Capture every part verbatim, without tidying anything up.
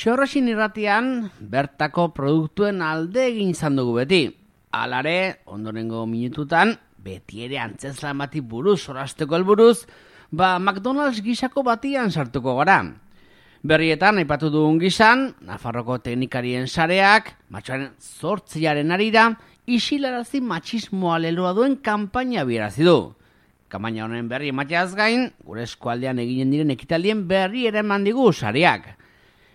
Xorrosin irratian, bertako produktuen alde egin izan dugu beti. Alare, ondorengo minututan, beti ere antzeslan bati buruz, sorasteko helburuz, ba McDonald's gisako batian sartuko gara. Berrietan, aipatu dugun gizan, Nafarroko teknikarien sareak, matxoaren zortziaren arira, isilarazi matxismoa leloa duen kanpaina bierazi du. Kanpaina honen berri emateaz gain, gure eskualdean eginen diren ekitaldien berri ere eman digu sareak.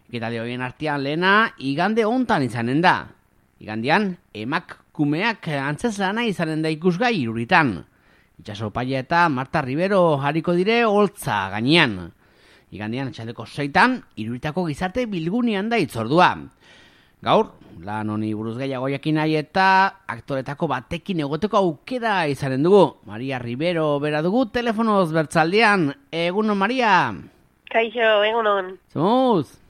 Ekitaldi horien artean lehena, igande hontan izanen da. Igandean, emakumeak antzeslana izanen da ikusgai iruritan. Itxaso Paia eta Marta Rivero hariko dire holtza gainean. Igandean, atxaldeko seitan, iruritako gizarte bilgunean da itzordua. Gaur, lan honi buruz gehiago jakin nahi eta aktoretako batekin egoteko aukera izanen dugu. Maria Rivero bera dugu telefonoz bertzaldean. Egunon, Maria? Kaixo, egunon. Zumuz?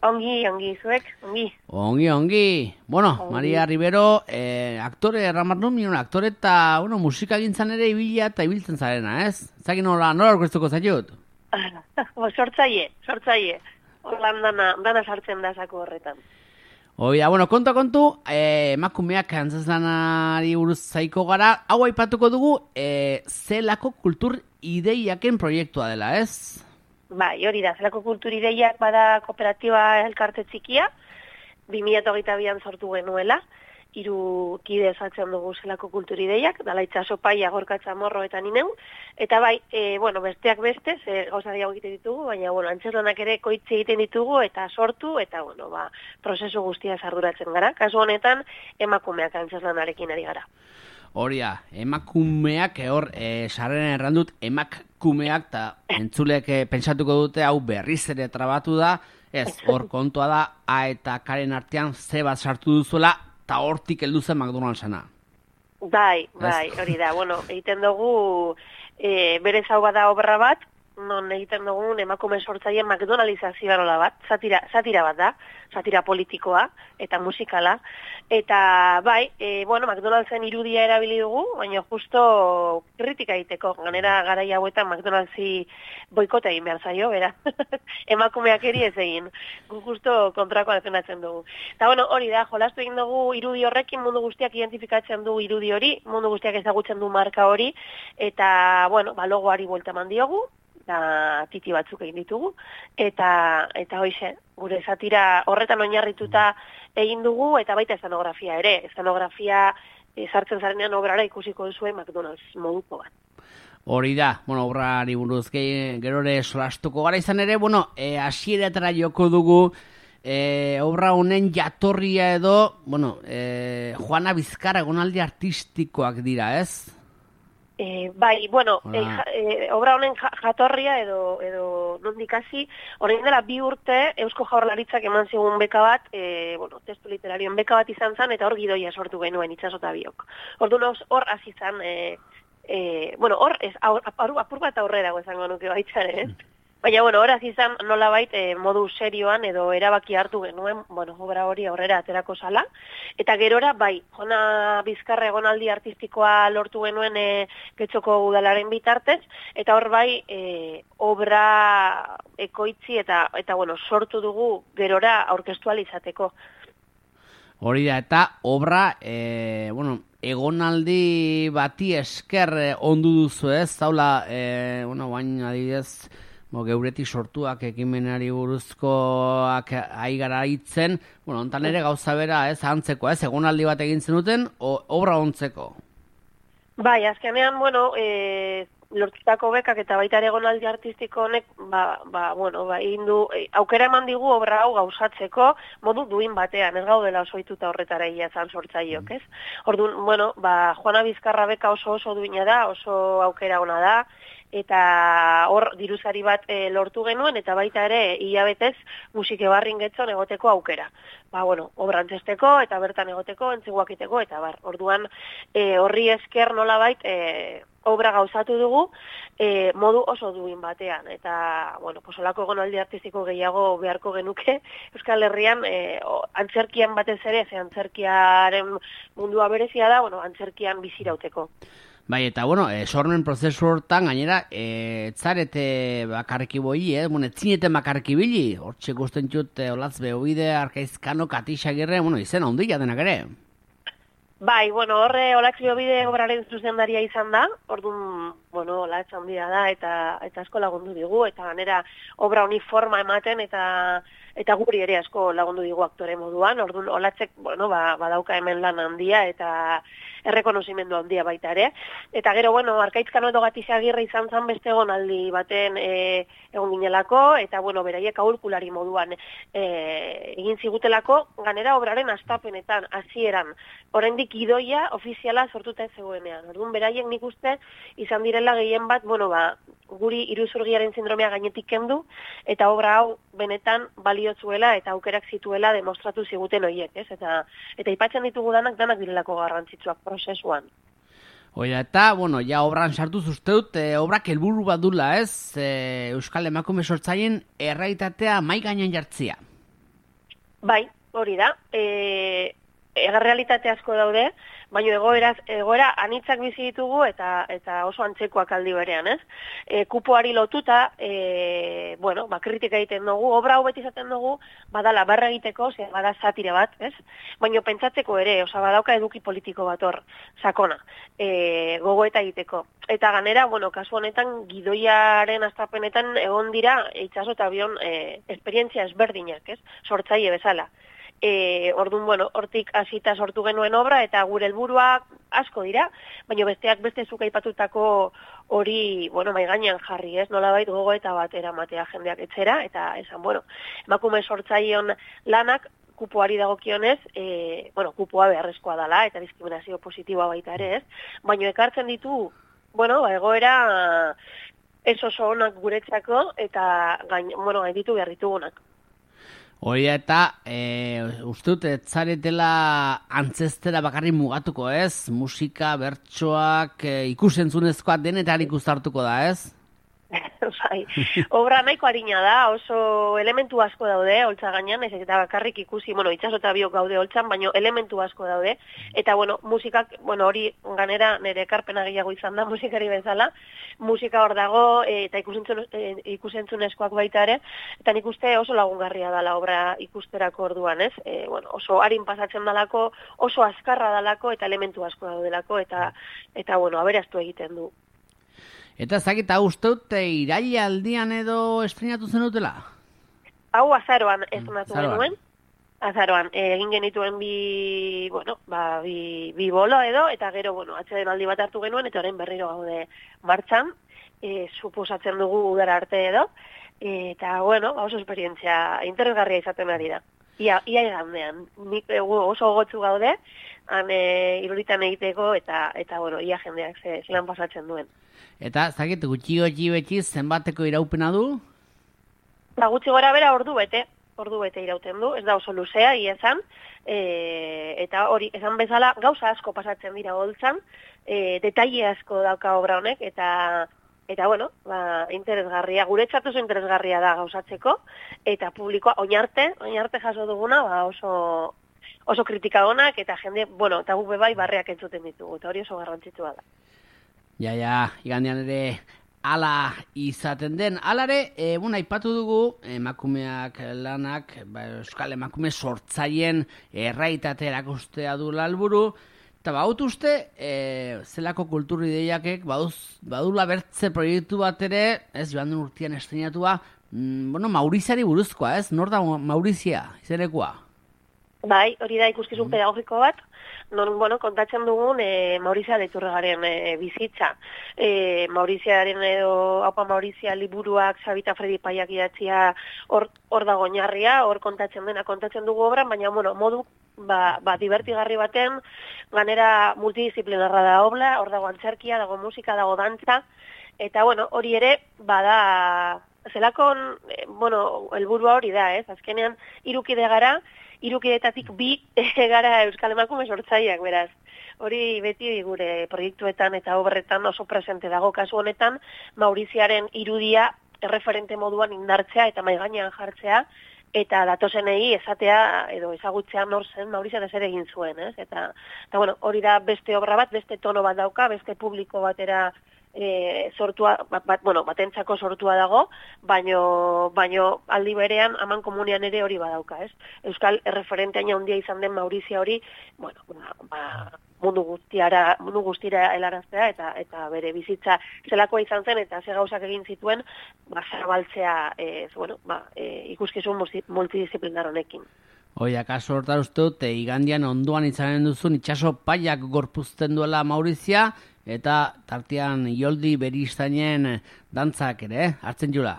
Ongi, ongi, zuek, ongi. Ongi, ongi. Bueno, ongi. Maria Rivero, eh, aktore, erramarnun minon, aktore eta, bueno, musika gintzan ere ibila eta ibiltzen zarena, ez? Zagin nola, nola orkestuko zaiut? Sortzaie, sortzaie. Horlan dana, dana sartzen da zako horretan. Oida, bueno, konta kontu, eh, emakumeak antzeslanari buruz zaiko gara, hau aipatuko dugu, eh, zelako kultur ideiaken proiektua dela, ez? Bai, hori da, zelako kultur ideiak bada kooperatiba elkarte txikia, bi mila hogeita bian sortu genuela, hiru kide osatzen dugu zelako kultur ideiak, dala Itxaso Paia, Gorka Chamorro eta nineu, eta bai, e, bueno, besteak beste, ze gauza diago egiten ditugu, baina, bueno, antzeslanak ere koitze egiten ditugu, eta sortu, eta, bueno, ba, prozesu guztia arduratzen gara. Kasu honetan, emakumeak antzeslanarekin ari gara. Hori da, emakumeak, hor, e, sarren errandut, emakumeak, eta entzulek e, pentsatuko dute, hau berriz ere trabatu da, ez, hor kontua da, A eta Karen artean ze bat sartu duzuela, eta hortik heldu zen McDonald'sana. Bai, bai, hori da, bueno, egiten dugu, e, berez hau bada obra bat, non egiten dugun emakume sortzaien McDonaldizazioa nola bat, satira, satira bat da, satira politikoa eta musikala, eta bai, e, bueno, McDonald'sen irudia erabili dugu, baina justo kritika egiteko, ganera garai hauetan McDonald'si boikota egin behar zaio, bera, emakumeak eri ez egin, gu justo kontrakoa defendatzen dugu. Eta bueno, hori da, jolastu egin dugu irudi horrekin, mundu guztiak identifikatzen du irudi hori, mundu guztiak ezagutzen du marka hori, eta bueno, ba, logoari buelta eman diogu, eta titi batzuk egin ditugu, eta eta hoize, gure satira horretan oinarrituta egin dugu, eta baita estanografia ere, estanografia e, sartzen zarenean obrara ikusiko duzue McDonald's moduko bat. Hori da, bueno, obrari buruz gerore solastuko gara izan ere, bueno, e, hasieretara joko dugu, e, obra honen jatorria edo, bueno, e, Juana Bizkarra egonaldi artistikoak dira, ez? E, bai, bueno, e, ja, e, obra honen jatorria edo, edo nondik hasi, orain dela bi urte Eusko Jaurlaritzak eman zigun beka bat, e, bueno, testu literarioen beka bat izan zen, eta hor gidoia sortu genuen Itxaso eta biok. Orduan hor hasi zen, e, e, bueno, hor ez, apur, apur bat aurrera izango nuke baitzaren, ez? Baina, bueno, horaz izan nolabait e, modu serioan edo erabaki hartu genuen, bueno, obra hori aurrera aterako zala. Eta gerora, bai, Juana Bizkarra egonaldi artistikoa lortu genuen e, Getxoko udalaren bitartez, eta hor bai, e, obra ekoitzi eta, eta bueno, sortu dugu gerora aurkeztual izateko. Hori da, eta obra, e, bueno, egonaldi bati esker e, ondu duzu ez, zaula, e, bueno, bain adibidez, Bo, geuretik sortuak ekimenari buruzkoak aigara hitzen, bueno, ontan ere gauza bera, ez, antzeko, ez, egonaldi bat egin zenuten, o, obra ontzeko. Bai, azkenean, bueno, e, lortutako bekak eta baita ere egonaldi artistiko honek, ba, ba, bueno, ba, indu, e, aukera eman digu obra hau gauzatzeko modu duin batean, ez gaudela oso ituta horretara ia zan sortzaiok, ez? Orduan, bueno, ba, Juana Bizkarra beka oso oso duina da, oso aukera ona da, eta hor diruzari bat e, lortu genuen, eta baita ere hilabetez musike barrin getzon egoteko aukera. Ba, bueno, obrantzesteko, eta bertan egoteko, entzeguakiteko, eta bar, orduan e, horri esker nolabait e, obra gauzatu dugu e, modu oso duin batean, eta, bueno, posolako egonaldi artistiko gehiago beharko genuke, Euskal Herrian e, o, antzerkian batez ere, ze antzerkiaren mundua berezia da, bueno, antzerkian bizirauteko. Bai, eta, bueno, e, sormen prozesu hortan, gainera, e, zarete bakarriki boi, eh? Bueno, etzineten bakarriki bili, hortxe guztien txut, e, olatz behobide, arkaizkano, katixagirre, bueno, izena handia denak ere. Bai, bueno, horre Olatz Behobide obraren zuzendaria izan da, orduan, bueno, Olatz handia da, eta eta asko lagundu digu, eta ganera obra honi forma ematen, eta eta guri ere asko lagundu digu aktore moduan, orduan Olatzek, bueno, ba, badauka hemen lan handia, eta errekonozimendu handia baita ere. Eta gero, bueno, Arkaitzkano edo Gatixagirre izan zen beste egonaldi baten e, egon ginelako, eta, bueno, beraiek aholkulari moduan e, egin zigutelako, ganera obraren astapenetan, hasieran, oraindik idoia ofiziala sortuta ez zegoenean. Orduan, beraiek nik uste izan direla gehien bat, bueno, ba, guri iruzurgiaren sindromea gainetik kendu, eta obra hau benetan baliotzuela eta aukerak zituela demostratu ziguten horiek, ez? Eta eta aipatzen ditugu danak, danak direlako garrantzitsuak prozesuan. Oida, eta, bueno, ja obran sartuz uste dut, e, obrak helburu bat dula, ez? E, Euskal Emakume sortzaien errealitatea mai gainean jartzia. Bai, hori da. E, errealitate asko daude, baina egoeraz, egoera anitzak bizi ditugu eta eta oso antzekoak aldi berean, ez? E, kupoari lotuta, e, bueno, ba, kritika egiten dugu, obra hau beti izaten dugu, badala barra egiteko, ze bada satire bat, ez? Baina pentsatzeko ere, oza, badauka eduki politiko bat hor, sakona, e, gogoeta egiteko. Eta ganera, bueno, kasu honetan, gidoiaren astapenetan egon dira, itxaso eta abion, e, esperientzia ezberdinak, ez? Sortzaile bezala. E, orduan, bueno, hortik hasita sortu genuen obra, eta gure helburuak asko dira, baina besteak beste zuk aipatutako hori, bueno, mai gainean jarri, ez? Nolabait gogoeta bat eramatea jendeak etzera, eta esan, bueno, emakume sortzaileon lanak, kupoari dagokionez, e, bueno, kupoa beharrezkoa dela, eta diskriminazio positiboa baita ere, ez? Baina ekartzen ditu, bueno, egoera ez oso onak guretzako, eta gain, bueno, gain ditu behar ditugunak. Hori eta, e, uste dut, ez zaretela antzestera bakarrik mugatuko, ez? Musika, bertsoak, e, ikusentzunezkoa denetan ikustartuko da, ez? Bai, obra nahiko harina da, oso elementu asko daude, holtza gainean, ez eta bakarrik ikusi, bueno, itxaso eta biok gaude holtzan, baina elementu asko daude, eta, bueno, musikak, bueno, hori ganera nire ekarpena gehiago izan da, musikari bezala, musika hor dago, e, eta ikusentzun, e, ikusentzunezkoak baita ere, eta nik uste oso lagungarria dela obra ikusterako orduan, ez? E, bueno, oso harin pasatzen dalako, oso azkarra dalako, eta elementu asko daudelako, eta, eta bueno, aberaztu egiten du. Eta zakita uste dut, iraila aldian edo estrenatu zenutela? Hau azaroan estrenatu genuen. Azaroan, egin genituen bi, bueno, ba, bi, bi bolo edo, eta gero, bueno, atxeden aldi bat hartu genuen, eta orain berriro gaude martxan, e, suposatzen dugu udara arte edo, eta, bueno, oso esperientzia interesgarria izaten ari da. Ia, ia egandean, nik oso gotzu gaude, han e, iruritan egiteko, eta, eta bueno, ia jendeak ze, zelan pasatzen duen. Eta, zakit, gutxi gotxi beti zenbateko iraupena du? Ba, gutxi gora bera ordu bete, ordu bete irauten du, ez da oso luzea, ia esan, e, eta hori, esan bezala, gauza asko pasatzen dira holtzan, e, detaile asko dauka obra honek, eta, eta bueno, ba, interesgarria, guretzat oso interesgarria da gauzatzeko, eta publikoa, oinarte, oinarte jaso duguna, ba, oso, oso kritika onak, eta jende, bueno, eta gube bai barreak entzuten ditugu, eta hori oso garrantzitsua da. Ja, ja, igandean ere ala izaten den. Alare, e, bueno, aipatu dugu, emakumeak lanak, ba, Euskal Emakume sortzaien erraitate erakustea du helburu, eta baut uste, e, zelako kultur ideiakek, baduz, badula bertze proiektu bat ere, ez, joan den urtean estrenatua, mm, bueno, Mauriziari buruzkoa, ez? Nor da Maurizia, izenekoa? Bai, hori da ikuskizun mm. pedagogiko bat, non, bueno, kontatzen dugun e, Maurizia Leiturregaren e, bizitza. E, Mauriziaren edo, haupa Maurizia liburuak, Sabita Fredi Paiak idatzia hor, hor dago oinarria, hor kontatzen dena kontatzen dugu obran, baina, bueno, modu, ba, ba divertigarri baten, ganera multidisciplinarra da obra, hor dago antzerkia, dago musika, dago dantza, eta, bueno, hori ere, bada, zelakon, e, bueno, helburua hori da, ez? Azkenean, irukide gara, irukidetatik bi gara Euskal Emakume sortzaileak, beraz. Hori beti gure proiektuetan eta obretan oso presente dago, kasu honetan, Mauriziaren irudia erreferente moduan indartzea eta maigainean jartzea, eta datozenei esatea edo ezagutzea nor zen Maurizio eta zer egin zuen, ez? Eta, eta bueno, hori da beste obra bat, beste tono bat dauka, beste publiko batera e, sortua, bat, bat, bueno, batentzako sortua dago, baino, baino aldi berean aman komunian ere hori badauka, ez? Euskal erreferenteaina handia izan den Maurizio hori, bueno, ba, ba mundu guztiara, mundu guztira helaraztea eta eta bere bizitza zelakoa izan zen eta ze gauzak egin zituen, ba zabaltzea, eh, bueno, ba, e, ikuskizun multidisziplinar honekin. Hoi, akaso hortar uste dut, igandian onduan izanen duzun itxaso paiak gorpuzten duela Maurizia, eta tartean Ioldi Beristáinen dantzak ere, eh? Hartzen jula?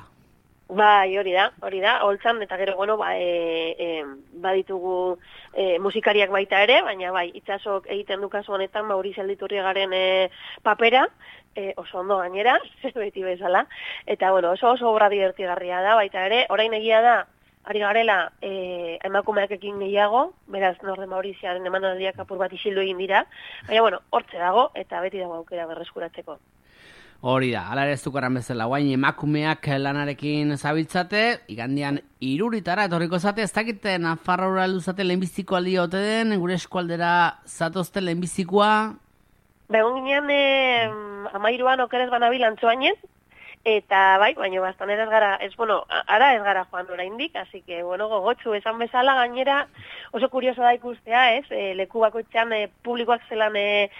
Bai, hori da, hori da, holtzan, eta gero, bueno, ba, e, e, baditugu e, musikariak baita ere, baina bai, itxasok egiten du kasu honetan, Maurizio Alditurriagaren e, papera, e, oso ondo gainera, beti bezala, eta, bueno, oso oso obra divertigarria da, baita ere, orain egia da, ari garela e, emakumeak ekin gehiago, beraz Norde Mauriziaren emanaldiak apur bat isildu egin dira, baina, bueno, hortze dago, eta beti dago aukera berreskuratzeko. Hori da, ala ere ez dukaran bezala, guain emakumeak lanarekin zabiltzate, igandian iruritara etorriko zate, ez dakite Nafarroa luzate lehenbiziko aldi ote den, gure eskualdera zatozte lehenbizikoa? Begon ginean, eh, amairuan okerez banabil antzoainen, eta bai, baina bastan ez gara, ez, bueno, ara ez gara joan oraindik, así que, bueno, gogotsu esan bezala gainera oso kurioso da ikustea, ez, e, leku bakoitzean e, publikoak zelan e,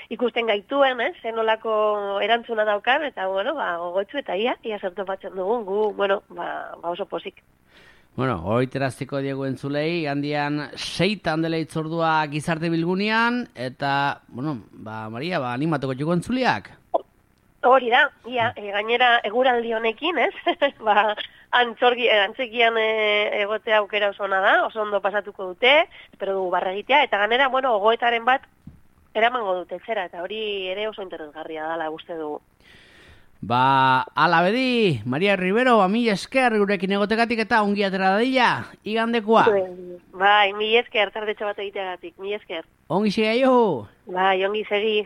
ikusten gaituen, ez, zenolako erantzuna daukan, eta, bueno, ba, gogotsu eta ia, ia zertu batzen dugun, gu, bueno, ba, ba oso pozik. Bueno, hori teraztiko diegu entzulei, handian seitan dela itzordua gizarte bilgunean, eta, bueno, ba, Maria, ba, animatuko txuko entzuliak? Hori da, ia, e, gainera eguraldi honekin, ez? ba, antzorgi, antzekian e, egotea aukera oso ona da, oso ondo pasatuko dute, espero dugu barra egitea, eta ganera, bueno, gogoetaren bat eramango dute zera, eta hori ere oso interesgarria dala, uste dugu. Ba, ala bedi, Maria Rivero, ba, mi esker gurekin egotekatik eta ongi atera dadila, igandekoa. Bai, mi esker, tardetxo bat egiteagatik, mi esker. Ongi segi jo. Bai, ongi segi.